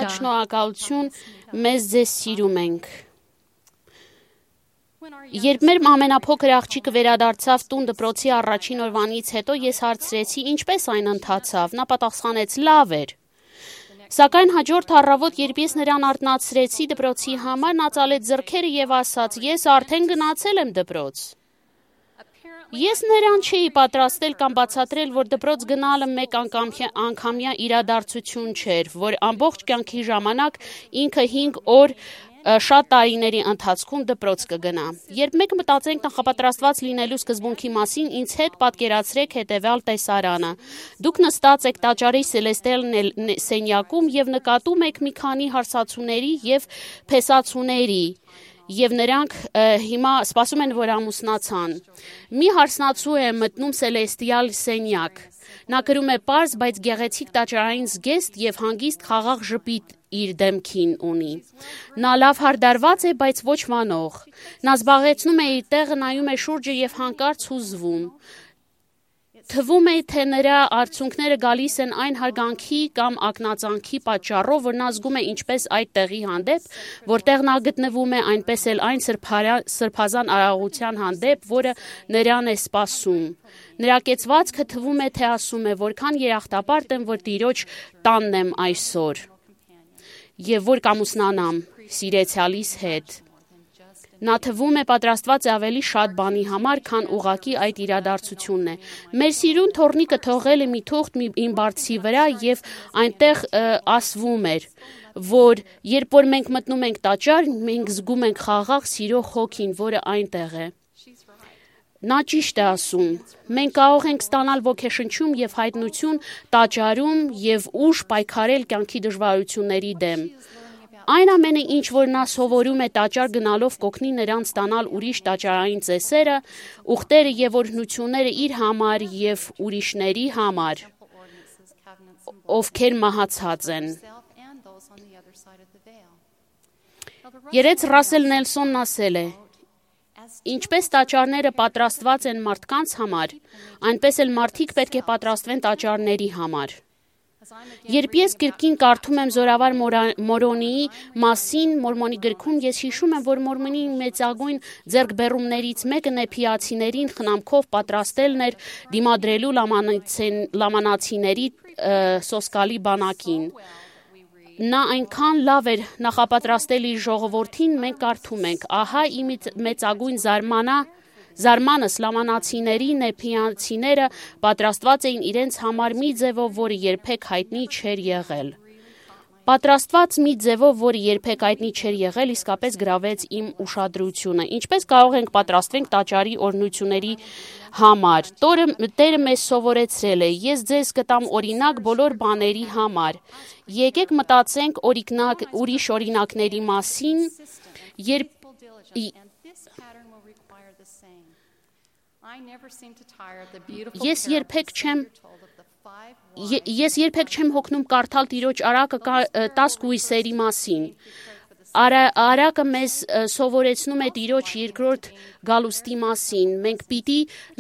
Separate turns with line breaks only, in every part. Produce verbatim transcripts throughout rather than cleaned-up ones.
Շատ շնորհակալություն, մեզ ձեզ սիրում ենք։ Երբ մեր ամենափոքր աղջիկը վերադարձավ տուն դպրոցի առաջին օրվանից հետո, ես հարցրեցի, ինչպես այն ընթացավ, նա պատասխանեց, լավ էր։ Սակայն հաջորդ առավոտ, երբ ես նրան արթնացրեցի դպրոցի համար, նա ծալեց ձեռքերը եւ ասաց, ես արդեն գնացել եմ դպրոց։ Ես նրան չէի պատրաստել կամ բացատրել, որ դպրոց գնալը մեկ անգամյա իրադարձություն չէր, որ ամբողջ կյանքի ժամանակ ինքը հինգ օր շատ տարիների ընթացքում դպրոց կգնա։ Երբ մենք մտածենք նախապատրաստված լինելու սկզբունքի մասին, ինձ հետ պատկերացրեք հետևյալ տեսարանը։ Դուք նստած եք տաճարի Սելեստիալ սենյակում եւ նկատում եք մի քանի հարսացուների եւ փեսացուների, եւ նրանք հիմա սպասում են, որ ամուսնացան։ Մի հարսնացու է մտնում Սելեստիալ սենյակ։ Նա կրում է պարզ, բայց գեղեցիկ տաճարային զգեստ եւ հանգիստ խաղաղ ժպիտ իր դեմքին ունի։ Նա լավ հարդարված է, բայց ոչ մանող։ Նա զբաղեցնում է իր տեղը, նայում է շուրջը եւ հանկարծ հուզվում։ Թվում է, թե նրա արցունքները գալիս են այն հարգանքի կամ ակնածանքի պատճառով, որ նա զգում է ինչպես այդ տեղի հանդեպ, որտեղ նա գտնվում է, այնպես էլ այն սրբազան արարողության հանդեպ, որը նրան է սպասում։ Նրա կեցվածքը թվում է, թե ասում է, որքան երախտապարտ եմ, որ Տիրոջ տանն եմ այսօր, եւ որ կամուսնանամ սիրեցյալիս հետ։ Նա թվում է պատրաստված է ավելի շատ բանի համար, քան ուղղակի այդ իրադարձությունն է։ Մեր սիրուն թոռնիկը թողել է մի թուղթ իմ բարձի վրա եւ այնտեղ ասվում էր, որ երբ որ մենք մտնում ենք տաճար, մենք զգում ենք խաղաղ սիրո հոգին, որը այնտեղ է։ Նա ճիշտ է ասում։ Մենք կարող ենք ստանալ ոգեշնչում եւ հայտնություն տաճարում եւ ուժ պայքարել կյանքի դժվարությունների դեմ։ Այն ամենը, ինչ որ նա սովորում է տաճար գնալով, կօգնի նրան ստանալ ուրիշ տաճարային ծեսերը, ուխտերը եւ օրհնությունները իր համար եւ ուրիշների համար, ովքեր մահացած են։ Երեց Ռասել Նելսոնն ասել է. Ինչպես տաճարները պատրաստված են մարդկանց համար, այնպես էլ մարդիկ պետք է պատրաստվեն տաճարների համար։ Երբ ես գրքին կարդում եմ Զորավար Մորոնիի մասին Մորմոնի գրքում, ես հիշում եմ, որ Մորմոնի մեծագույն ձեռքբերումներից մեկը նեփիացիներին խնամքով պատրաստելն էր դիմադրելու լամանացիների սոսկալի բանակին։ Նա այնքան լավ էր նախապատրաստել իր ժողովրդին, մենք կարդում ենք. ահա իմ մեծագույն զարմանա Զարմանս լամանացիների նեփիացիները պատրաստված էին իրենց համար մի ձևով, որը երբեք հայտնի չէր եղել։ Պատրաստված մի ձևով, որը երբեք հայտնի չէր եղել, իսկապես գրավեց իմ ուշադրությունը։ Ինչպես կարող ենք պատրաստվենք տաճարի օրհնությունների համար։ Տերը մեզ սովորեցրել է. ես ձեզ կտամ օրինակ բոլոր բաների համար։ Եկեք մտածենք օրինակ ուրիշ օրինակների մասին, երբ Ես երբեք չեմ Ես երբեք չեմ հոգնում կարդալ Տիրոջ արակը տաս կույսերի մասին։ Արակը մեզ սովորեցնում է Տիրոջ երկրորդ գալուստի մասին։ Մենք պիտի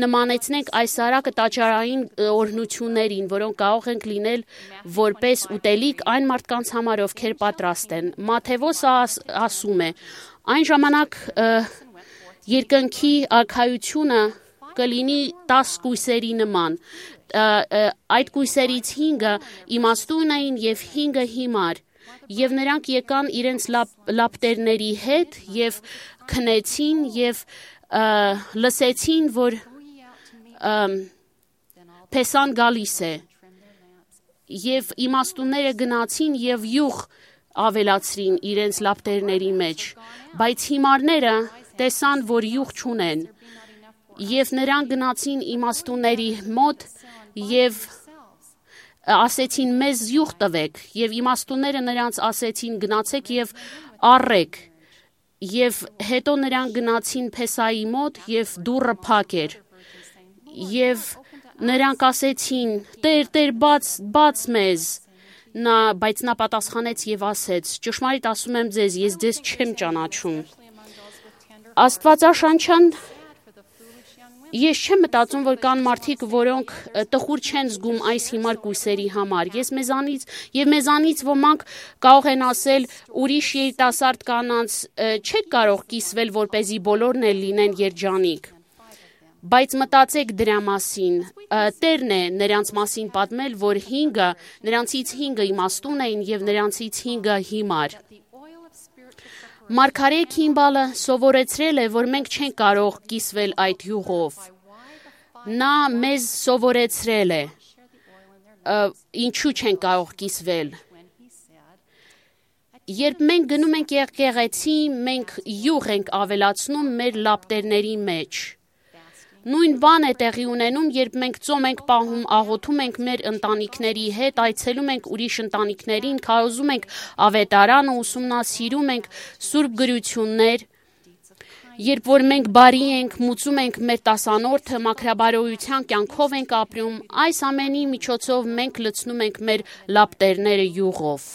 նմանեցնենք այս արակը տաճարային օրհնություններին, որոնք կարող են լինել որպես ուտելիք այն մարդկանց համար, ովքեր պատրաստ են։ Մատթեոսը ասում է. այն ժամանակ երկնքի արքայությունը կլինի տաս կույսերի նման։ Այդ կույսերից հինգը իմաստուն էին եւ հինգը հիմար։ Եվ նրանք եկան իրենց լապտերների հետ եւ քնեցին եւ լսեցին, որ Փեսան գալիս է։ Եվ իմաստունները գնացին եւ յուղ ավելացրին իրենց լապտերների մեջ, բայց հիմարները տեսան, որ յուղ չունեն։ Եվ նրանք գնացին իմաստունների մոտ եւ ասեցին մեզ յուղ տվեք, եւ իմաստունները նրանց ասեցին գնացեք եւ առեք։ Եվ հետո նրանք գնացին Փեսայի մոտ եւ դուռը փակ էր։ Եվ նրանք ասեցին. Տեր, Տեր, բաց, բաց մեզ։ Նա, բայց նա պատասխանեց եւ ասեց. ճշմարիտ ասում եմ ձեզ, ես ձեզ չեմ ճանաչում։ Աստվածաշնչյան Ես չեմ մտածում, որ կան մարդիկ, որոնք տխուր չեն զգում այս հիմար կույսերի համար։ Ես մեզանից եւ մեզանից ոմանք կարող են ասել, ուրիշ երիտասարդ կանանց չեք կարող կիսվել, որպեսզի բոլորն էլ լինեն երջանիկ։ Բայց մտածեք դրա մասին, Տերն է նրանց մասին պատմել, որ հինգը, նրանցից հինգը իմաստուն էին եւ նրանցից հինգը հիմար։ Մարգարե Քիմբալը սովորեցրել է, որ մենք չենք կարող կիսվել այդ յուղով։ Նա մեզ սովորեցրել է, ինչու չենք կարող կիսվել։ Երբ մենք գնում ենք եկեղեցի, մենք յուղ ենք ավելացնում մեր լապտերների մեջ։ Նույն բան է տեղի ունենում, երբ մենք ծոմ ենք պահում, աղոթում ենք մեր ընտանիքների հետ, այցելում ենք ուրիշ ընտանիքներին, քարոզում ենք ավետարանը, ուսումնասիրում ենք սուրբ գրություններ, երբ որ մենք բարի ենք, մուծում ենք մեր տասանորդը, մաքրաբարոյության կյանքով ենք ապրում, այս ամենի միջոցով մենք լցնում ենք մեր լապտերները յուղով։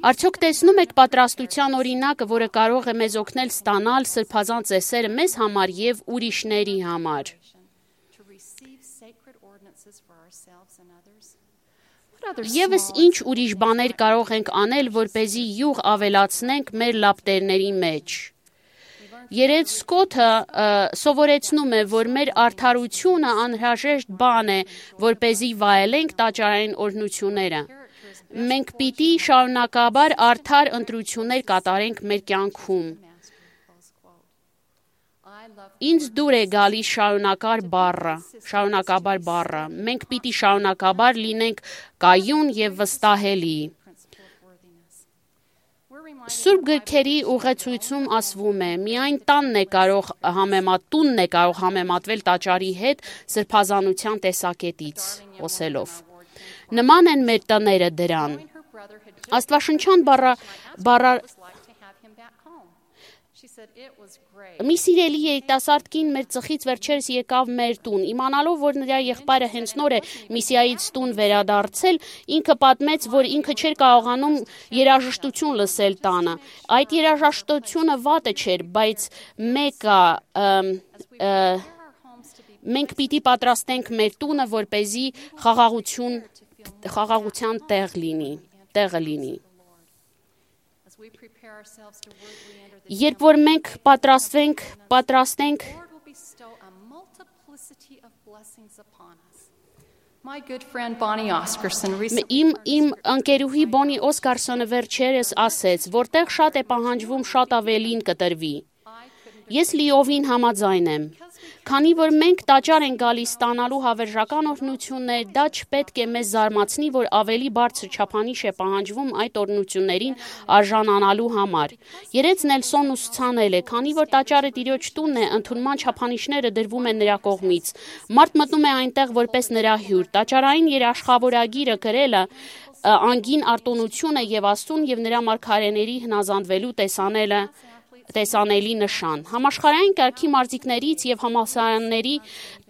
Արդյոք տեսնում եք պատրաստության օրինակը, որը կարող է մեզ օգնել ստանալ սրբազան ծեսերը մեզ համար եւ ուրիշների համար։ Եվս ինչ ուրիշ բաներ կարող ենք անել, որպեսզի յուղ ավելացնենք մեր լապտերների մեջ։ Երետ Սկոթը սովորեցնում է, որ մեր արդարությունը անհրաժեշտ բան է, որպեսզի վայելենք տաճարային օրհնությունները։ Մենք պիտի շարունակաբար արդար ընտրություններ կատարենք մեր կյանքում։ Ինձ դուր է գալիս շարունակար բառը, շարունակաբար բառը։ Մենք պիտի շարունակաբար լինենք կայուն եւ վստահելի։ Սուրբ գրքերի ուղեցույցում ասվում է, միայն տանն է կարող համեմատ տունն է կարող համեմատվել տաճարի հետ սրբազանության տեսակետից խոսելով։ Նման են մեր տները դրան։ Աստվածաշնչյան բառա բառա Մի սիրելի երիտասարդ կին մեր ծխից վերջերս եկավ մեր տուն, իմանալով, որ նրա եղբայրը հենց նոր է միսիայից տուն վերադարձել, ինքը պատմեց, որ ինքը չէր կարողանում երաժշտություն լսել տանը։ Այդ երաժշտությունը վատը չէր, բայց մեկը մենք պիտի պատրաստենք մեր տունը, որպեսզի խաղաղություն խաղաղության տեղ լինի, տեղը լինի։ Երբ որ մենք պատրաստվենք, պատրաստենք Իմ իմ ընկերուհի Բոնի Օսկարսոնը վերջերս ասեց, որտեղ շատ է պահանջվում, շատ ավելին կտրվի։ Ես լիովին համաձայն եմ։ Քանի որ մենք տաճար ենք գալիս ստանալու հավերժական օրհնություններ, դա չպետք է մեզ զարմացնի, որ ավելի բարձր չափանիշ է պահանջվում այդ օրհնություններին արժանանալու համար։ Երեկ Նելսոնն ուսուցանել է, քանի որ տաճարը Տիրոջ տունն է, ընդունման չափանիշները դրվում են նրա կողմից։ Մարդ մտնում է այնտեղ որպես նրա հյուր։ Տաճարային երաշխավորագիրը գրելը անգին արտոնությունը եւ Աստծուն եւ նրա մարգարեների հնազանդվելու տեսանելը տեսանելի նշան։ Համաշխարհային կարգի մարզիկներից եւ համալսարանների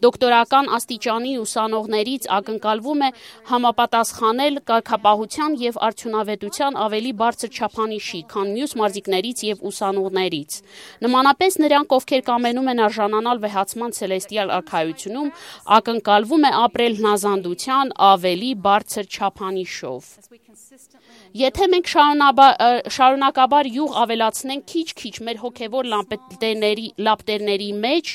դոկտորական աստիճանի ուսանողներից ակնկալվում է համապատասխանել կարգապահության եւ արդյունավետության ավելի բարձր չափանիշի, քան մյուս մարզիկներից եւ ուսանողներից։ Նմանապես նրանք, ովքեր կամենում են արժանանալ վեհացման ցելեստիալ արքայությունում, ակնկալվում է ապրել հնազանդության ավելի բարձր չափանիշով։ Եթե մենք շարունակաբար յուղ ավելացնենք քիչ-քիչ մեր հոգևոր լապտերների, լապտերների մեջ,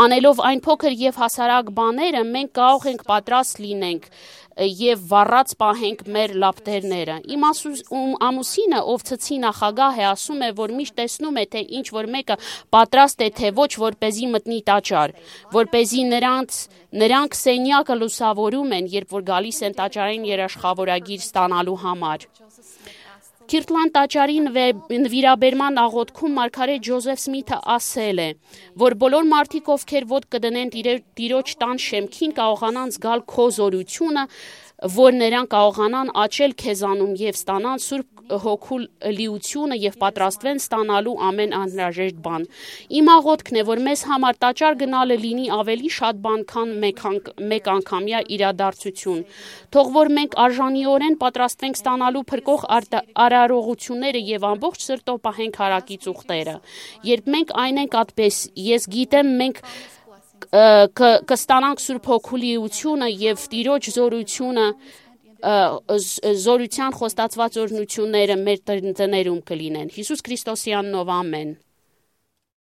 անելով այն փոքր եւ հասարակ բաները, մենք կարող ենք պատրաստ լինենք եւ վառած պահենք մեր լապտերները։ Իմ ամուսինը, ով ցցի նախագահ է, ասում է, որ միշտ տեսնում է, թե ինչ որ մեկը պատրաստ է, թե ոչ, որպեսզի մտնի տաճար, որպեսզի նրանց նրանք սենյակը լուսավորում են, երբ որ գալիս են տաճարային երաշխավորագիր ստանալու համար։ Քիրթլանդ տաճարի նվիրաբերման աղոթքում մարգարե Ջոզեֆ Սմիթը ասել է, որ բոլոր մարդիկ, ովքեր ոտք կդնեն Տիրոջ տան շեմքին, կարողանան զգալ քո զորությունը, որ նրանք կարողանան աճել քեզանում եւ ստանան Սուրբ Հոգու լիությունը եւ պատրաստվեն ստանալու ամեն անհրաժեշտ բան։ Իմ աղոթքն է, որ մեզ համար տաճար գնալը լինի ավելի շատ բան, քան մեկ անգամյա իրադարձություն։ Թող որ մենք արժանիորեն պատրաստվենք ստանալու փրկող արարողությունները եւ ամբողջ սրտով պահենք հարակից ուխտերը։ Երբ մենք այն ենք այդպես, ես գիտեմ, մենք կստանանք Սուրբ Հոգու լիությունը եւ Տիրոջ զորությունը զորության խոստացված օրհնությունները մեր տներում կլինեն։ Հիսուս Քրիստոսի անունով ամեն։